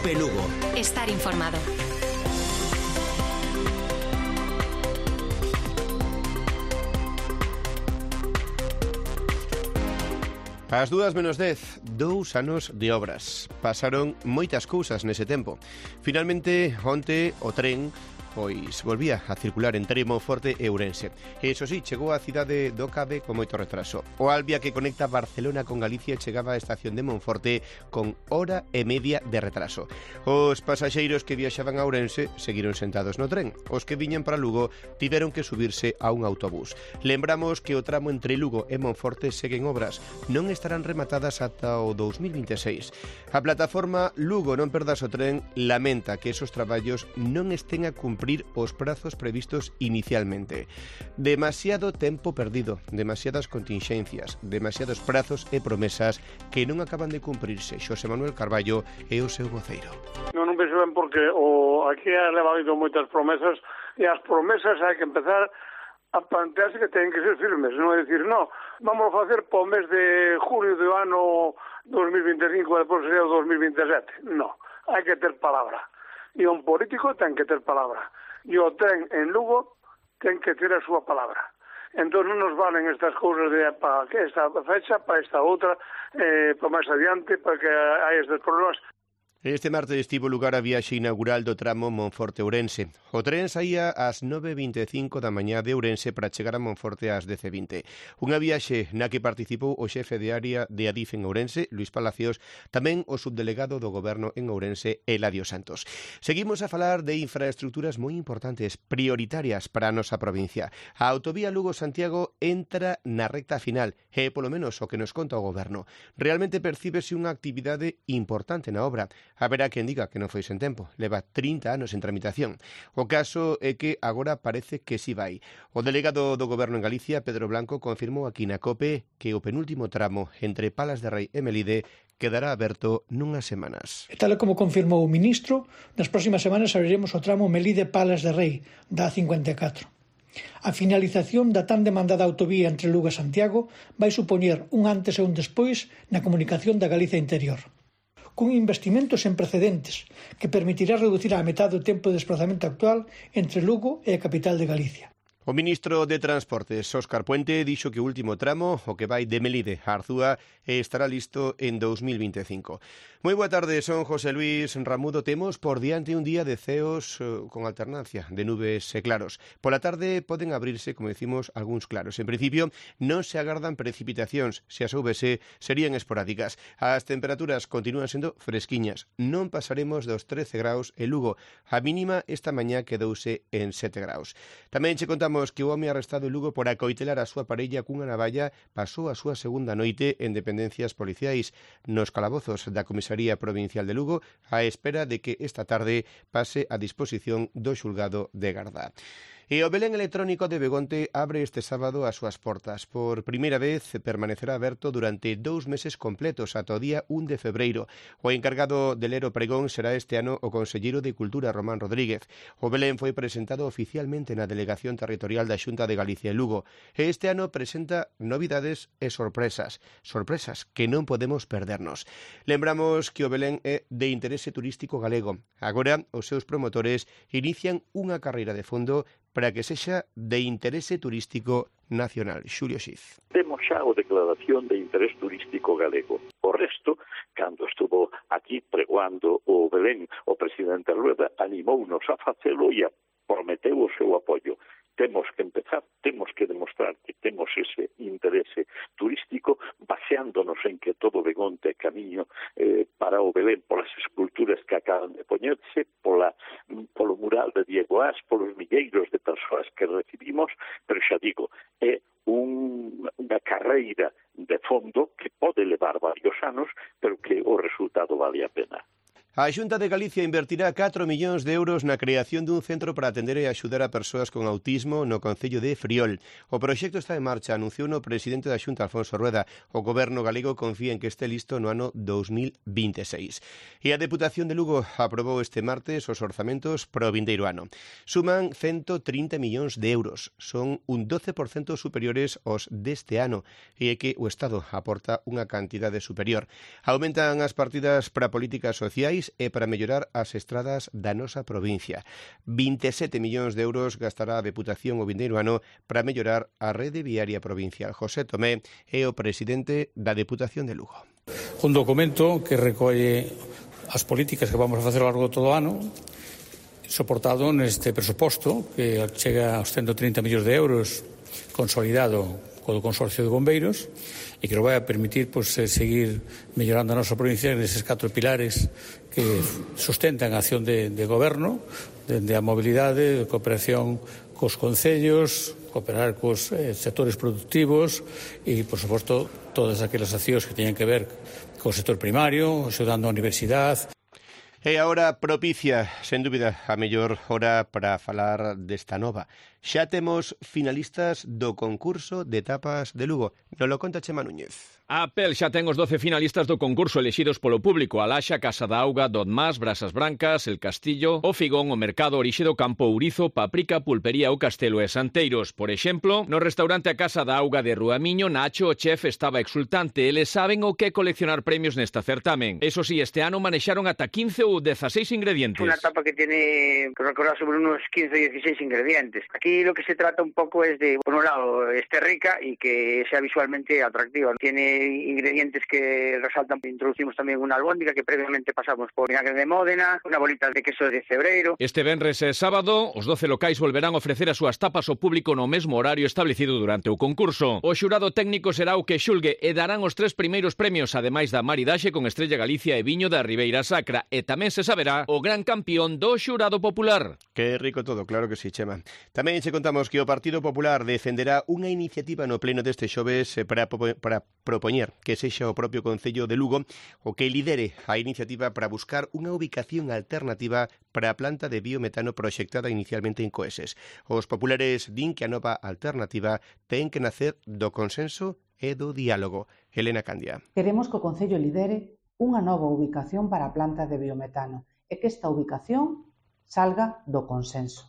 Cope Lugo. Estar informado. Ás 2:10, 2 anos de obras. Pasaron moitas cousas nese tempo. Finalmente, onte, o tren volvía a circular entre Monforte e Ourense. E iso sí, chegou á cidade do Cabe con moito retraso. O Alvia que conecta Barcelona con Galicia chegaba á estación de Monforte con hora e media de retraso. Os pasaxeiros que viaxaban a Ourense seguiron sentados no tren. Os que viñan para Lugo tiveron que subirse a un autobús. Lembramos que o tramo entre Lugo e Monforte seguen obras. Non estarán rematadas ata o 2026. A plataforma Lugo non perdas o tren lamenta que esos traballos non estén a cumprir os prazos previstos inicialmente. Demasiado tempo perdido, demasiadas continxencias, demasiados prazos e promesas que non acaban de cumprirse. Xosé Manuel Carballo é o seu voceiro. Non penso ben porque aquí ha levado moitas promesas e as promesas hai que empezar a plantearse que teñen que ser firmes, non é dicir, no, vamos a facer po mes de julio do ano 2025 e depois sería o 2027. No, hai que ter palabra. E un político ten que ter palabra. E o tren en Lugo ten que ter a súa palabra. Entón non nos valen estas cousas de para esta fecha, para esta outra, para máis adiante, para que hai estes problemas. Este martes estivo lugar a viaxe inaugural do tramo Monforte-Ourense. O tren saía ás 9:25 da mañá de Ourense para chegar a Monforte ás 10:20. Unha viaxe na que participou o xefe de área de Adif en Ourense, Luís Palacios, tamén o subdelegado do Goberno en Ourense, Eladio Santos. Seguimos a falar de infraestructuras moi importantes, prioritarias para a nosa provincia. A autovía Lugo-Santiago entra na recta final e, polo menos, o que nos conta o Goberno. Realmente percíbese unha actividade importante na obra. Haberá quen diga que non foi sen tempo, leva 30 anos en tramitación. O caso é que agora parece que si vai. O delegado do Goberno en Galicia, Pedro Blanco, confirmou aquí na COPE que o penúltimo tramo entre Palas de Rei e Melide quedará aberto nunhas semanas. Tal como confirmou o ministro, nas próximas semanas abriremos o tramo Melide-Palas de Rei, da A54. A finalización da tan demandada autovía entre Lugo e Santiago vai supoñer un antes e un despois na comunicación da Galicia interior, cun investimento sen precedentes que permitirá reducir á metade o tempo de desplazamento actual entre Lugo e a capital de Galicia. O ministro de Transportes, Óscar Puente, dixo que o último tramo, o que vai de Melide a Arzúa, estará listo en 2025. Moi boa tarde, son José Luis Ramudo. Temos por diante un día de ceos con alternancia de nubes e claros. Pola tarde poden abrirse, como decimos, algúns claros. En principio, non se agardan precipitacións. Se as houbese, serían esporádicas. As temperaturas continúan sendo fresquiñas. Non pasaremos dos 13 graus en Lugo. A mínima esta mañá quedouse en 7 graus. Tamén che contamos que o home arrestado en Lugo por acoitelar a súa parella cunha navalla pasou a súa segunda noite en dependencias policiais nos calabozos da Comisaría Provincial de Lugo á espera de que esta tarde pase a disposición do xulgado de Gardá. E o Belén electrónico de Begonte abre este sábado as súas portas. Por primeira vez permanecerá aberto durante 2 meses completos ata o día 1 de febreiro. O encargado de ler o pregón será este ano o conselleiro de Cultura, Román Rodríguez. O Belén foi presentado oficialmente na Delegación Territorial da Xunta de Galicia en Lugo. E este ano presenta novidades e sorpresas. Sorpresas que non podemos perdernos. Lembramos que o Belén é de interese turístico galego. Agora, os seus promotores inician unha carreira de fondo para que sexa de interese turístico nacional. Xulio Xiz. Temos xa a declaración de interés turístico galego. O resto, cando estuvo aquí pregoando o Belén, o presidente Rueda animounos a facelo e prometeu o seu apoio. Temos que empezar, temos que demostrar que temos ese interese turístico baseándonos en que todo Begonte é camiño para o Belén polas esculturas que acaban de poñerse, polo mural de Diego Ás, polos milleiros de persoas que recibimos, pero xa digo, é unha carreira de fondo que pode levar varios anos, pero que o resultado vale a pena. A Xunta de Galicia invertirá 4 millóns de euros na creación dun centro para atender e axudar a persoas con autismo no concello de Friol. O proxecto está en marcha, anunciou o presidente da Xunta, Alfonso Rueda. O goberno galego confía en que este listo no ano 2026. E a Deputación de Lugo aprobou este martes os orzamentos para o vindeiro ano. Suman 130 millóns de euros. Son un 12% superiores aos deste ano e é que o Estado aporta unha cantidade superior. Aumentan as partidas para políticas sociais viales e para mellorar as estradas da nosa provincia. 27 millóns de euros gastará a Deputación o vindeiro ano para mellorar a rede viaria provincial. José Tomé é o presidente da Deputación de Lugo. Un documento que recolle as políticas que vamos a facer ao largo de todo o ano, soportado neste presuposto que chega aos 130 millóns de euros consolidado co Consorcio de Bombeiros e que nos vai a permitir seguir mellorando a nosa provincia neses 4 pilares que sustentan a acción de goberno, dende a mobilidade, cooperación cos concellos, cooperar cos sectores productivos e, por suposto, todas aquelas accións que teñen que ver co sector primario, axudando a universidade. E agora propicia, sen dúbida, a mellor hora para falar desta nova. Xa temos finalistas do concurso de tapas de Lugo. Nos lo conta Chema Núñez. A Pel xa ten os 12 finalistas do concurso elixidos polo público: a Laxa, Casa da Auga, Dodmás, Brasas Brancas, El Castillo, O Figón, o Mercado, Orixe do Campo, Ourizo, Paprika, Pulpería, O Castelo e Santeiros. Por exemplo, no restaurante A Casa da Auga de Ruamiño, Nacho, o chef, estaba exultante. Eles saben o que coleccionar premios nesta certamen. Eso sí, este ano manexaron ata 15 ou 16 ingredientes. Una tapa que tiene que recordar sobre unos 15 o 16 ingredientes. Aquí lo que se trata un poco es de, por un lado, esté rica y que sea visualmente atractiva. Tiene ingredientes que resaltan. Introducimos también una albóndiga que previamente pasamos por vinagre de Módena, una bolita de queso de Cebreiro. Este venres e sábado, os 12 locais volverán a ofrecer as súas tapas ao público no mesmo horario establecido durante o concurso. O xurado técnico será o que xulgue e darán os 3 primeiros premios, ademais da maridaxe con Estrella Galicia e viño da Ribeira Sacra, e tamén se saberá o gran campeón do xurado popular. Que rico todo, claro que sí, Chema. Tamén che contamos que o Partido Popular defenderá unha iniciativa no pleno deste xoves para propoñer que sexa o propio Concello de Lugo o que lidere a iniciativa para buscar unha ubicación alternativa para a planta de biometano proxectada inicialmente en Coeses. Os populares din que a nova alternativa ten que nacer do consenso e do diálogo. Elena Candia. Queremos que o Concello lidere unha nova ubicación para a planta de biometano e que esta ubicación salga do consenso.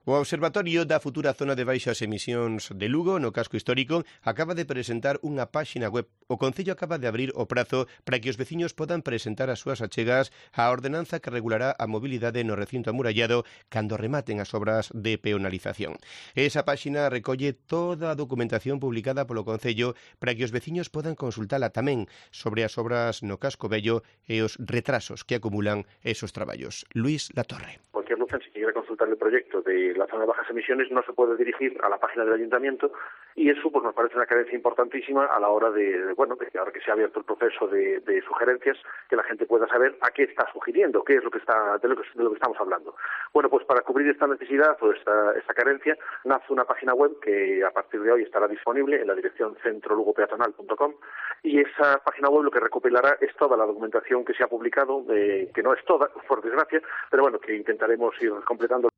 O Observatorio da futura zona de baixas emisións de Lugo, no casco histórico, acaba de presentar unha páxina web. O Concello acaba de abrir o prazo para que os veciños podan presentar as súas achegas á ordenanza que regulará a mobilidade no recinto amurallado cando rematen as obras de peonalización. Esa páxina recolle toda a documentación publicada polo Concello para que os veciños podan consultala tamén sobre as obras no casco vello e os retrasos que acumulan esos traballos. Luis Latorre. Cualquier lucense que quiera consultar el proyecto de la zona de bajas emisiones no se puede dirigir a la página del ayuntamiento y eso pues nos parece una carencia importantísima a la hora de ahora que se ha abierto el proceso de sugerencias, que la gente pueda saber a qué está sugiriendo, qué es lo que está de lo que estamos hablando. Bueno, pues para cubrir esta necesidad o esta carencia nace una página web que a partir de hoy estará disponible en la dirección centrolugopeatonal.com y esa página web lo que recopilará es toda la documentación que se ha publicado, que no es toda, por desgracia, pero bueno, que intentaremos ir completando.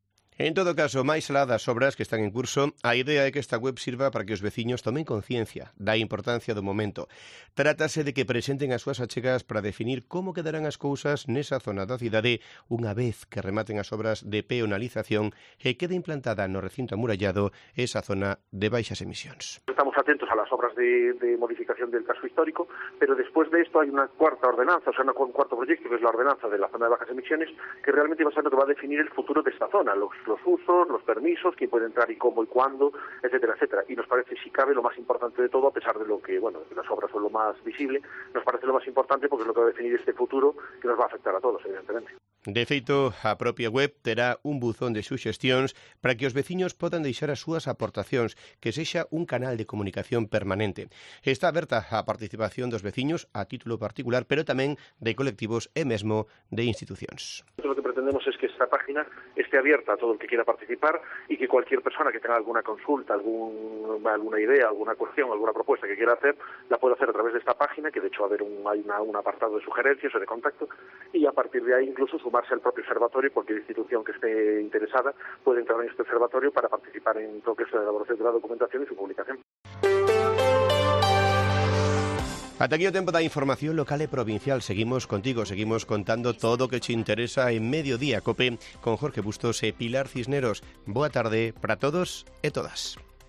En todo caso, máis alá das obras que están en curso, a idea é que esta web sirva para que os veciños tomen conciencia da importancia do momento. Trátase de que presenten as súas achegas para definir como quedarán as cousas nesa zona da cidade unha vez que rematen as obras de peonalización e quede implantada no recinto amurallado esa zona de baixas emisións. Estamos atentos a las obras de modificación del casco histórico, pero después de esto hay una cuarta ordenanza, o sea, un cuarto proyecto, que es la ordenanza de la zona de bajas emisiones, que realmente va a ser lo que va a definir el futuro de esta zona, los usos, los permisos, quién puede entrar y cómo y cuándo, etcétera, etcétera. Y nos parece, si cabe, lo más importante de todo, a pesar de lo que, bueno, las obras son lo más visible, nos parece lo más importante porque es lo que va a definir este futuro que nos va a afectar a todos, evidentemente. De feito, a propia web terá un buzón de suxestións para que os veciños podan deixar as súas aportacións, que sexa un canal de comunicación permanente. Está aberta a participación dos veciños a título particular, pero tamén de colectivos e mesmo de institucións. Lo que pretendemos es que esta página esté abierta a todo el que quiera participar y que cualquier persona que tenga alguna consulta, alguna idea, alguna cuestión, alguna propuesta que quiera hacer, la puede hacer a través de esta página, que de hecho hay un apartado de sugerencias o de contacto, y a partir de ahí incluso sumarse al propio observatorio. Cualquier institución que esté interesada puede entrar en este observatorio para participar en todo esto de la elaboración de la documentación y su publicación. Ata aquí o tempo da información local e provincial. Seguimos contigo, seguimos contando todo o que te interesa en Mediodía Cope con Jorge Bustos e Pilar Cisneros. Boa tarde para todos e todas.